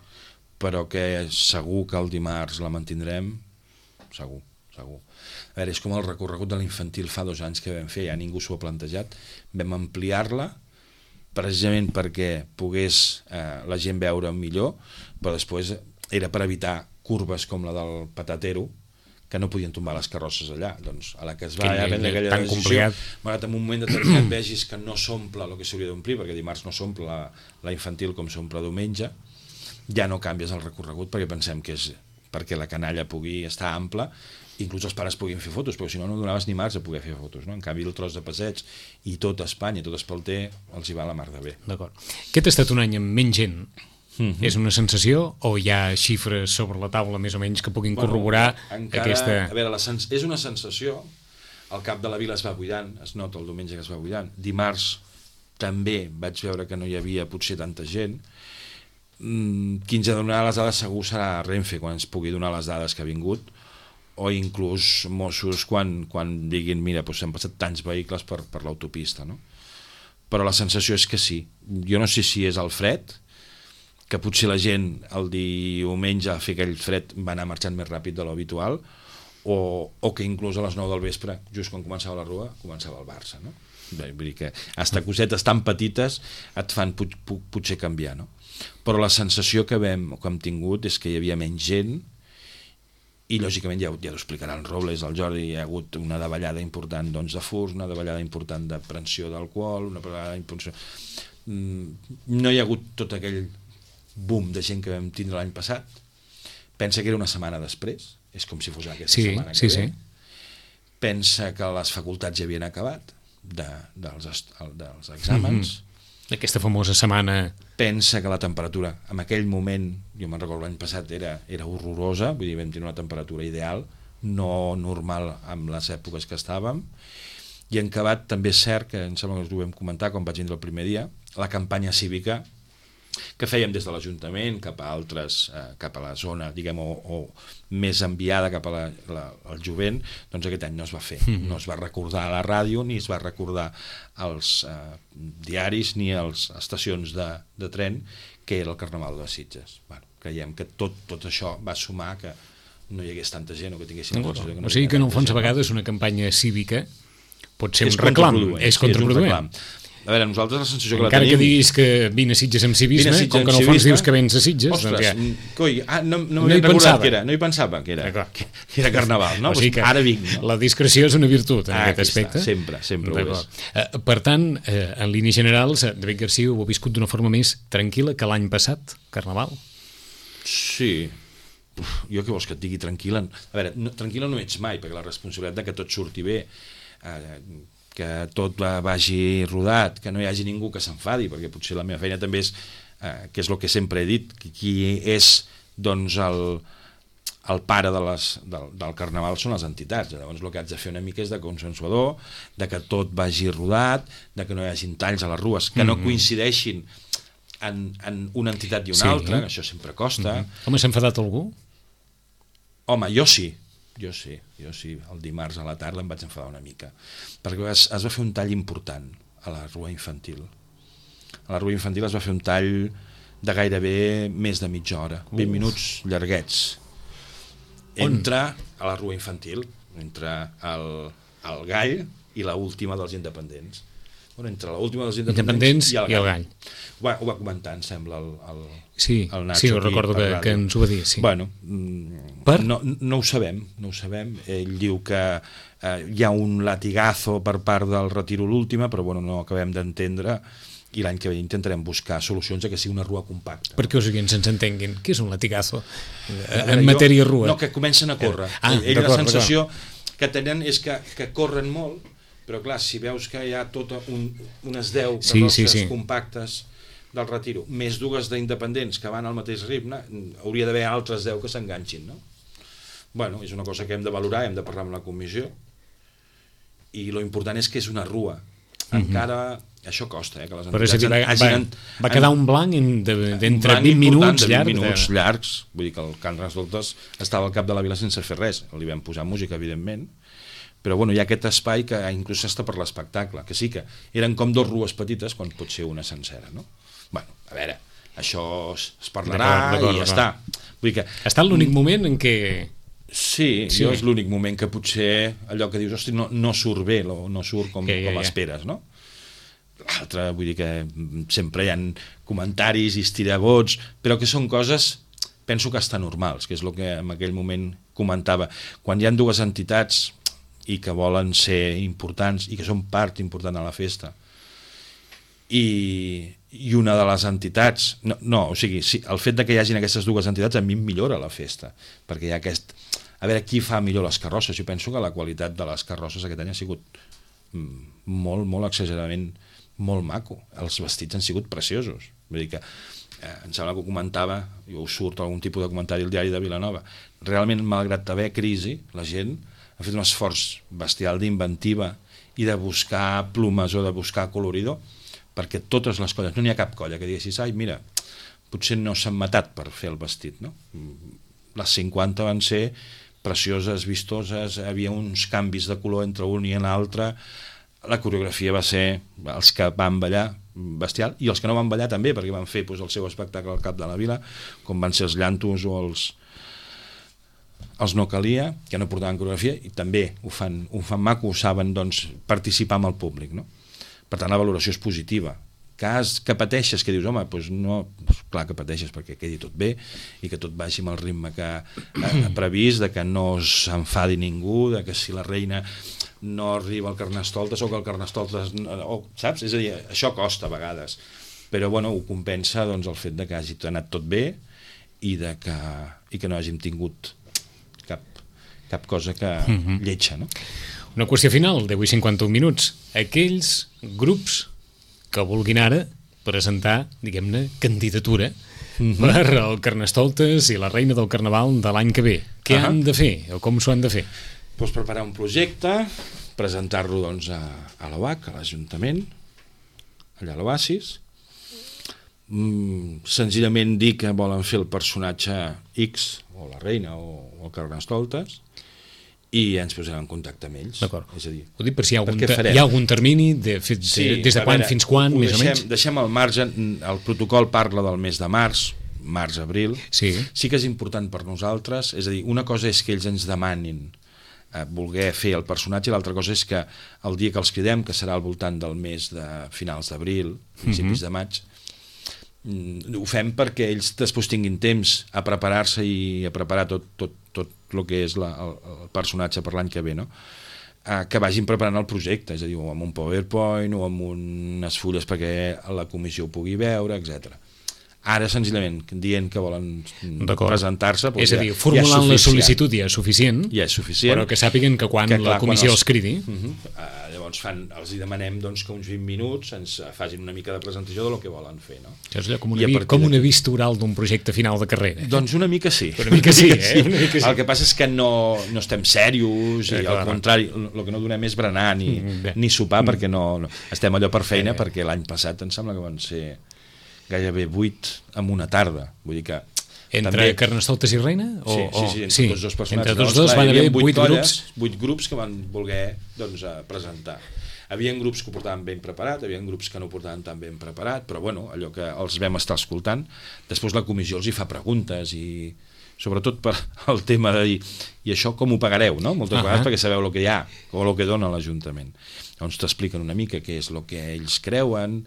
Però que segur que el dimarts la mantindrem, segur, segur. A veure, és com el recorregut de l'infantil fa dos anys que vam fer, ja ningú s'ho ha plantejat, vam ampliar-la precisament perquè pogués eh, la gent veure millor, però després era per evitar curves com la del Patatero, que no podien tombar les carrosses allà. Doncs a la que es va que prendre aquella tan decisió, complicat. malgrat en un moment determinat vegis que no s'omple el que s'hauria d'omplir, perquè dimarts no s'omple la, la infantil com s'omple diumenge, ja no canvies el recorregut perquè pensem que és perquè la canalla pugui estar ampla, inclús els pares puguin fer fotos, perquè si no no donaves ni març a poder fer fotos, no? En canvi el tros de passeig i tot Espanya, tot Espalter els hi va a la mar de bé. D'acord. Aquest ha estat un any amb menys gent. Mm-hmm. És una sensació o hi ha xifres sobre la taula més o menys que puguin bueno, corroborar encara, aquesta... A veure, la sens... és una sensació, el cap de la vila es va buidant, es nota el diumenge que es va buidant, dimarts també vaig veure que no hi havia potser tanta gent. Mm, qui ens ha de donar les dades segur serà Renfe quan ens pugui donar les dades que ha vingut, o inclús Mossos quan, quan diguin mira, doncs s'han passat tants vehicles per, per l'autopista, no? Però la sensació és que sí. Jo no sé si és el fred, que potser la gent el diumenge a fer aquell fred va anar marxant més ràpid de l'habitual, o, o que inclús a les nou del vespre, just quan començava la rua, començava el Barça, no? Bé, vull dir que hasta cosetes tan petites et fan pot, pot, potser canviar, no? Però la sensació que vam, que hem tingut és que hi havia menys gent, i lògicament ja, ja ho explicaran Robles, el Jordi, hi ha hagut una davallada important doncs, de furs, una davallada important de prensió d'alcohol, una davallada important... No hi ha hagut tot aquell boom de gent que vam tindre l'any passat. Pensa que era una setmana després, és com si fos aquesta sí, setmana que sí, ve. Sí. Pensa que les facultats ja havien acabat de, dels, dels exàmens. Mm-hmm. Aquesta famosa setmana... Pensa que la temperatura, en aquell moment, jo me'n recordo l'any passat, era, era horrorosa, vull dir, vam tenir una temperatura ideal, no normal amb les èpoques que estàvem, i en acabat també és cert, que em sembla que us ho vam comentar quan vaig vindre el primer dia, la campanya cívica que fèiem des de l'Ajuntament cap a altres, eh, cap a la zona, diguem, o, o més enviada cap a la, la, al jovent, doncs aquest any no es va fer. Mm-hmm. No es va recordar a la ràdio, ni es va recordar als eh, diaris, ni a les estacions de, de tren, que era el Carnaval de Sitges. Bueno, creiem que tot, tot això va sumar que no hi hagués tanta gent o que tinguessin... No, que no o sigui que en el fons a vegades una campanya cívica pot ser un reclam, és contraproduent. A veure, nosaltres la sensació que encara la tenim... que diguis que vine a Sitges amb civisme, Sitges com que en el fons dius que vens a Sitges... Ostres, doncs ja... coi, ah, no, no, no m'havia recordat pensava. que era, no hi pensava que era, que, que era Carnaval, no? O sigui que ara vinc, no? La discreció és una virtut en ah, aquest aspecte. Està, sempre, sempre ho és. Uh, per tant, uh, en línies generals, David Garcia ho ha viscut d'una forma més tranquil·la que l'any passat, Carnaval? Sí. Uf, jo què vols que et digui tranquil·la? A veure, no, tranquil·la no ets mai, perquè la responsabilitat de que tot surti bé, eh, que tot vagi rodat, que no hi hagi ningú que s'enfadi, perquè potser la meva feina també és, eh, que és el que sempre he dit, que qui és doncs el, el pare de les, del, del Carnaval són les entitats. Llavors el que haig de fer una mica és de consensuador, de que tot vagi rodat, de que no hi hagin talls a les rues, que no coincideixin en, en una entitat i una sí, altra, que això sempre costa. Mm-hmm. Home, s'ha enfadat algú? Home, jo sí. Jo sí, jo sí, el dimarts a la tarda em vaig enfadar una mica, perquè es, es va fer un tall important a la rua infantil. A la rua infantil es va fer un tall de gairebé més de mitja hora, vint minuts llarguets. Entre a la rua infantil, entre el, el Gall i l'última dels independents. Bueno, entre l'última dels independents, independents i el Gall. I el Gall. Ho, va, ho va comentar, em sembla, el, el, sí, el Nacho. Sí, ho recordo que, que ens ho va dir. Sí. Bueno, per? No, no ho sabem, no ho sabem. Ell diu que eh, hi ha un latigazo per part del retiro l'última, però bueno, no acabem d'entendre, i l'any que ve intentarem buscar solucions a que sigui una rua compacta. Perquè els oients ens entenguin, què és un latigazo en matèria rua? No, que comencen a córrer. Ah, Ell la sensació que tenen és que, que corren molt, però clar, si veus que hi ha tota un, unes deu sí, carrosses sí, sí. compactes del Retiro, més dues d'independents que van al mateix ritme, hauria d'haver altres deu que s'enganxin, no? Bueno, és una cosa que hem de valorar, hem de parlar amb la comissió, i lo important és que és una rua. Encara, mm-hmm. això costa, eh, que les entitats... Però va, hagin, va, va quedar un blanc d'entre vint minuts de llargs. vint minuts llargs, vull dir que el Carnestoltes estava al cap de la vila sense fer res, li vam posar música, evidentment, però bueno, hi ha aquest espai que inclús està per l'espectacle, que sí que eren com dos rues petites quan pot ser una sencera, no? Bueno, a veure, això es parlarà i ja està. Vull dir que... Ha estat l'únic moment en què... Sí, sí. Jo és l'únic moment que potser allò que dius, hosti, no, no surt bé, no surt com, que, ja, com ja. esperes, no? L'altre, vull dir que sempre hi ha comentaris i estirabots, però que són coses, penso que estan normals, que és el que en aquell moment comentava. Quan hi ha dues entitats i que volen ser importants i que són part important a la festa, i, i una de les entitats no, no o sigui, sí, el fet de que hi hagin aquestes dues entitats a mi em millora la festa, perquè hi ha aquest, a veure qui fa millor les carrosses. Jo penso que la qualitat de les carrosses aquest any ha sigut molt, molt exageradament molt maco, els vestits han sigut preciosos, vull dir que eh, em sembla que ho comentava, jo us surt algun tipus de comentari al diari de Vilanova, realment malgrat haver crisi la gent ha fet un esforç bestial d'inventiva i de buscar plomes o de buscar coloridor, perquè totes les colles, no n'hi ha cap colla que diguessis, ai, mira, potser no s'han matat per fer el vestit, no? Les cinquanta van ser precioses, vistoses, havia uns canvis de color entre un i l'altre, la coreografia va ser, els que van ballar, bestial, i els que no van ballar també, perquè van fer doncs, el seu espectacle al cap de la vila, com van ser els llantos o els els no calia, que no portaven coreografia, i també ho fan, ho fan maco, ho saben doncs, participar amb el públic, no? Per tant, la valoració és positiva. Cas que pateixes, que dius, home, doncs no, doncs clar que pateixes perquè quedi tot bé i que tot vagi amb el ritme que ha previst, de que no s'enfadi ningú, de que si la reina no arriba al Carnestoltes o que el Carnestoltes... O, saps? És a dir, això costa a vegades, però bueno, ho compensa doncs, el fet de que hagi anat tot bé i, de que, i que no hàgim tingut cap, cap cosa que mm-hmm. lletja, no? Una qüestió final d'avui cinquanta-un minuts. Aquells grups que vulguin ara presentar, diguem-ne, candidatura mm-hmm. per al Carnestoltes i la Reina del Carnaval de l'any que ve. Què uh-huh. han de fer o com s'ho han de fer? Pues preparar un projecte, presentar-lo doncs, a, a l'O H, a l'Ajuntament, allà a l'Oasis, mm, senzillament dir que volen fer el personatge X, o la Reina, o, o el Carnestoltes, i ens posarem en contacte amb ells. D'acord. És a dir, ho dic per si hi ha algun, hi ha algun termini de, de, sí, des de quan veure, fins quan, més deixem, o menys? Deixem al marge, el protocol parla del mes de març, març-abril. Sí. Sí que és important per nosaltres, és a dir, una cosa és que ells ens demanin eh, voler fer el personatge, i l'altra cosa és que el dia que els cridem, que serà al voltant del mes de finals d'abril, principis mm-hmm. de maig, ho fem perquè ells després tinguin temps a preparar-se i a preparar tot, tot, tot el que és la, el, el personatge per l'any que ve, no? Eh, que vagin preparant el projecte, és a dir, o amb un PowerPoint o amb unes fulles perquè la comissió ho pugui veure, etcètera. Ara, senzillament, dient que volen presentar-se... Doncs és a dir, ja, formulant ja la sol·licitud ja és suficient, ja és suficient, però que sàpiguen que quan que, clar, la comissió quan els, els cridi... Uh-huh, uh, llavors fan, els hi demanem doncs, que uns vint minuts ens facin una mica de presentació de lo que volen fer. No? Això és allò com una, vi, com una vista oral d'un projecte final de carrera. Eh? Doncs una mica sí. Una mica sí, eh? Una mica sí. El que passa és que no, no estem serios, i eh, al contrari, el que no donem és berenar ni, mm, ni sopar, mm. perquè no, no estem allò per feina, eh. perquè l'any passat em sembla que van ser... gairebé vuit en una tarda, vull dir que... Entre també... Carnestoltes i Reina? O, sí, sí, sí, entre sí. tots dos personatges. Entre tots dos van haver vuit grups. Vuit grups que van voler doncs, presentar. Havien grups que ho portaven ben preparat, havien grups que no ho portaven tan ben preparat, però bueno, allò que els vam estar escoltant, després la comissió els hi fa preguntes i sobretot per el tema de dir i això com ho pagareu, no? Moltes uh-huh. vegades perquè sabeu el que hi ha o el que dona l'Ajuntament. Llavors t'expliquen una mica què és el que ells creuen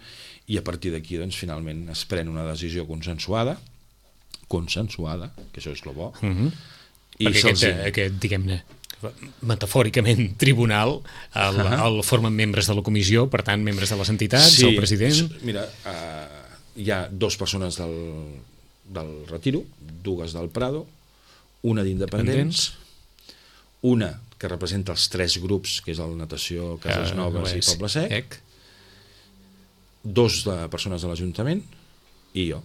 i a partir d'aquí doncs, finalment es pren una decisió consensuada, consensuada, que això és el bo. Uh-huh. I perquè aquest, aquest, diguem-ne, metafòricament, tribunal, el, uh-huh. el formen membres de la comissió, per tant, membres de les entitats, sí, el president... Mira, uh, hi ha dues persones del, del Retiro, dues del Prado, una d'Independents, una que representa els tres grups, que és el Natació, Cases Noves uh, i Poble Sec, Ec. dos de persones de l'Ajuntament i jo.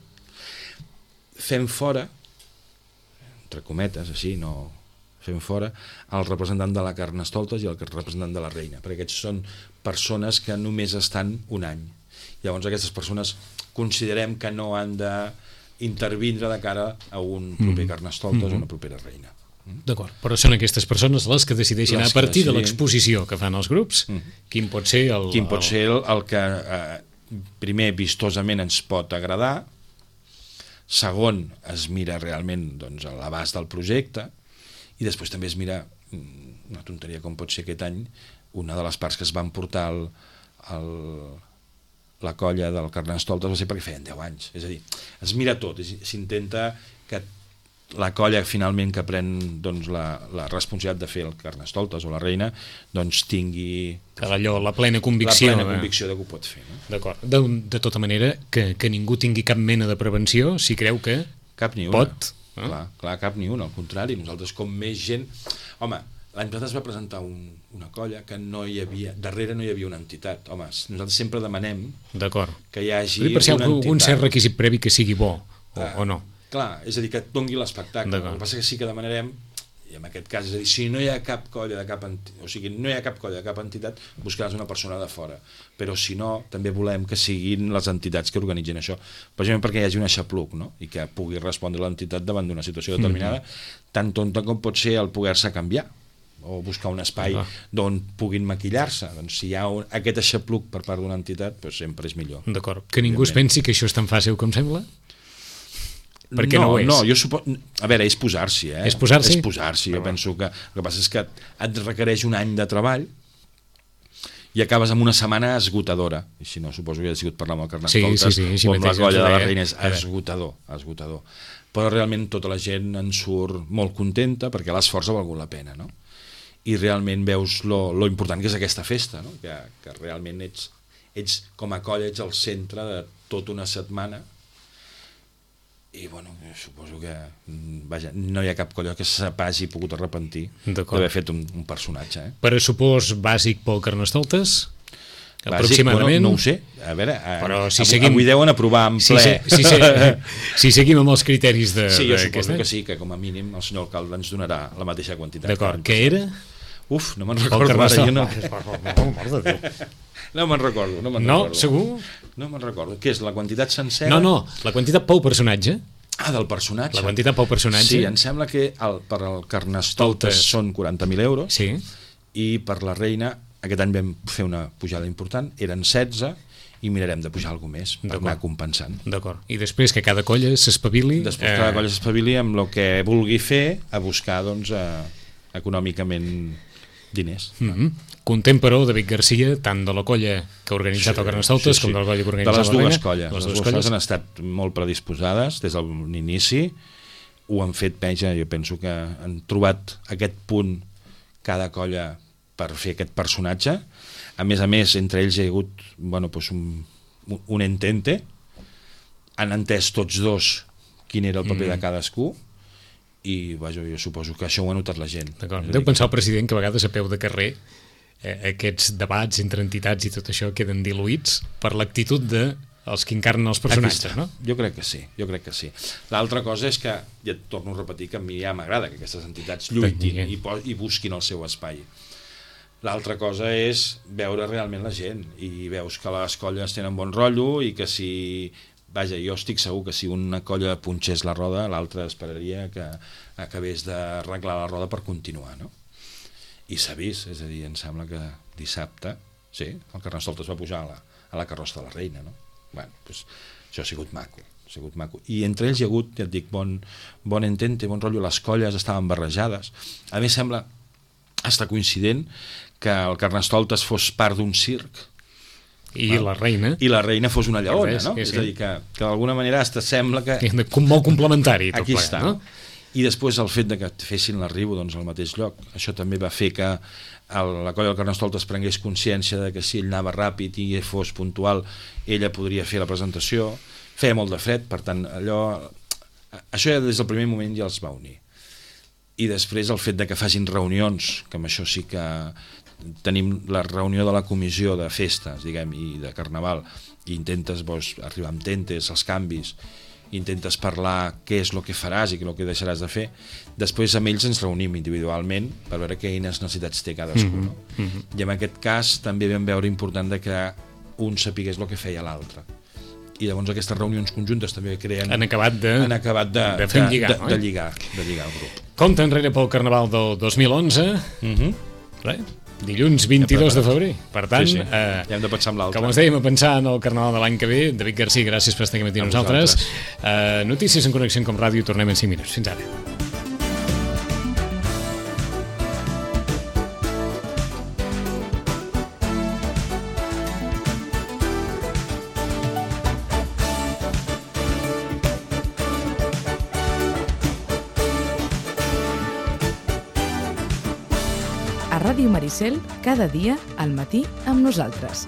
Fem fora, entre cometes, així, no fem fora, el representant de la Carnestoltes i el representant de la Reina, perquè aquests són persones que només estan un any. Llavors aquestes persones considerem que no han d'intervindre de cara a un proper mm. Carnestoltes mm-hmm. o una propera Reina. D'acord, però són aquestes persones les que decideixen les a partir decidin... de l'exposició que fan els grups, mm-hmm. quin pot ser el... Quin pot el... ser el, el que eh, primer vistosament ens pot agradar, segon es mira realment doncs, l'abast del projecte, i després també es mira, una tonteria com pot ser aquest any, una de les parts que es van portar el, el, la colla del Carnestoltes va ser perquè feien deu anys, és a dir, es mira tot, s'intenta que la colla finalment que pren doncs, la, la responsabilitat de fer el Carnestoltes o la Reina doncs tingui allò, la plena convicció, la plena convicció de que ho pot fer, no? D'acord, de, de tota manera que, que ningú tingui cap mena de prevenció si creu que cap ni una. Pot no? clar, clar, cap ni una, al contrari, nosaltres com més gent, home, l'any passat es va presentar un, una colla que no hi havia, darrere no hi havia una entitat, home, nosaltres sempre demanem que hi hagi per si una entitat, un cert requisit previ que sigui bo o, ah, o no. Clar, és a dir, que et doni l'espectacle. El que passa que sí que demanarem, i en aquest cas, és a dir, si no hi ha cap colla de cap entitat, o sigui, no hi ha cap colla de cap entitat, buscaràs una persona de fora. Però si no, també volem que siguin les entitats que organitzen això. Precisament perquè hi hagi un aixapluc, no? I que pugui respondre l'entitat davant d'una situació determinada, mm-hmm. tan tonta com pot ser el poder-se canviar o buscar un espai ah. d'on puguin maquillar-se. Doncs si hi ha un, aquest aixapluc per part d'una entitat, doncs sempre és millor. D'acord. Que ningú es pensi que això és tan fàcil com sembla? Perquè no, no ho és. No, jo suposo... A veure, és posar-s'hi, eh? És posar-s'hi? És posar-s'hi. Jo penso que el que passa és que et requereix un any de treball i acabes amb una setmana esgotadora. I si no, suposo que ja ha sigut parlar amb el Carnestoltes sí, sí, sí, o amb la colla de la Reina, és esgotador, esgotador. Però realment tota la gent en surt molt contenta perquè l'esforç ha valgut la pena, no? I realment veus lo, lo important que és aquesta festa, no? Que, que realment ets, ets, com a colla, ets al centre de tota una setmana. I bueno, suposo que vaja, no hi ha cap colla que s'hagi pogut arrepentir d'haver fet un, un personatge. Eh? Pressupost bàsic pel Carnestoltes? Bàsic, aproximadament? Bueno, no ho sé. A veure, però si avui, seguim... avui deuen aprovar en ple. Si, si, si, si seguim amb els criteris de... Sí, jo suposo any? que sí, que com a mínim el senyor alcalde ens donarà la mateixa quantitat. D'acord, què era? Uf, no me'n recordo. Ara, jo no... No me'n recordo, no me'n no, recordo. Segur? No me'n recordo. Què és, la quantitat sencera? No, no, la quantitat pel personatge. Ah, del personatge. La quantitat pel personatge. Sí, em sembla que el, per al Carnestoltes són quaranta mil euros sí. I per la Reina aquest any vam fer una pujada important, eren setze i mirarem de pujar alguna més per anar compensant. D'acord. I després que cada colla s'espavili... Després eh... cada colla s'espavili amb el que vulgui fer a buscar doncs, eh, econòmicament diners. Mm-hmm. Content, però, David Garcia, tant de la colla que ha organitzat sí, el Carnestoltes sí, sí. com de la colla que ha organitzat la Reina. De les dues colles. Les, les dues dues colles han estat molt predisposades des de l'inici, ho han fet peja, jo penso que han trobat aquest punt cada colla per fer aquest personatge. A més a més, entre ells hi ha hagut bueno, pues un, un entente, han entès tots dos quin era el paper mm. de cadascú, i vaja, jo suposo que això ho ha notat la gent. Deu pensar el president que a vegades a peu de carrer eh, aquests debats entre entitats i tot això queden diluïts per l'actitud de els que encarnen els personatges, no? Jo crec que sí, jo crec que sí. L'altra cosa és que, ja et torno a repetir, que a mi ja m'agrada que aquestes entitats lluitin i, i busquin el seu espai. L'altra cosa és veure realment la gent i veus que les colles tenen bon rotllo i que si... Vaja, jo estic segur que si una colla punxés la roda, l'altra esperaria que acabés d'arreglar la roda per continuar, no? I s'ha vist, és a dir, em sembla que dissabte, sí, el Carnestoltes va pujar a la, a la carrossa de la Reina, no? Bueno, doncs això ha sigut maco, ha sigut maco. I entre ells hi ha hagut, ja et dic, bon, bon entente, bon rotllo, les colles estaven barrejades. A més, sembla estar coincident que el Carnestoltes fos part d'un circ, i la Reina i la Reina fos una lleona, no? Sí, sí. És a dir, que, que d'alguna manera hasta sembla que... molt complementari tot aquí ple, està, no? I després el fet de que fessin l'arribo doncs, al mateix lloc, això també va fer que el, la colla del Carnestoltes prengués consciència de que si ell anava ràpid i fos puntual, ella podria fer la presentació. Feia molt de fred, per tant, allò... Això ja des del primer moment ja els va unir. i després el fet de que facin reunions, que amb això sí que tenim la reunió de la comissió de festes, diguem, i de carnaval, i intentes doncs, arribar amb tentes, els canvis, intentes parlar què és el que faràs i què és el que deixaràs de fer. Després amb ells ens reunim individualment per veure quines necessitats té cadascú. Mm-hmm. No? Mm-hmm. I en aquest cas també vam veure important de que un sapigués el que feia l'altre. I llavors aquestes reunions conjuntes també creen... Han acabat de, han acabat de, de fer un lligar, de, no? de, lligar, de lligar el grup. Compte enrere pel Carnaval del dos mil onze. Mm-hmm. Res, dilluns vint-i-dos de febrer. Per tant, sí, sí. Eh, ja hem de pensar en l'altre. Com us dèiem, a pensar en el Carnaval de l'any que ve. David Garcia, gràcies per estar aquí amb nosaltres. Eh, notícies en Connexió com Ràdio. Tornem en cinc minuts. Fins ara. A Ràdio Maricel, cada dia al matí amb nosaltres.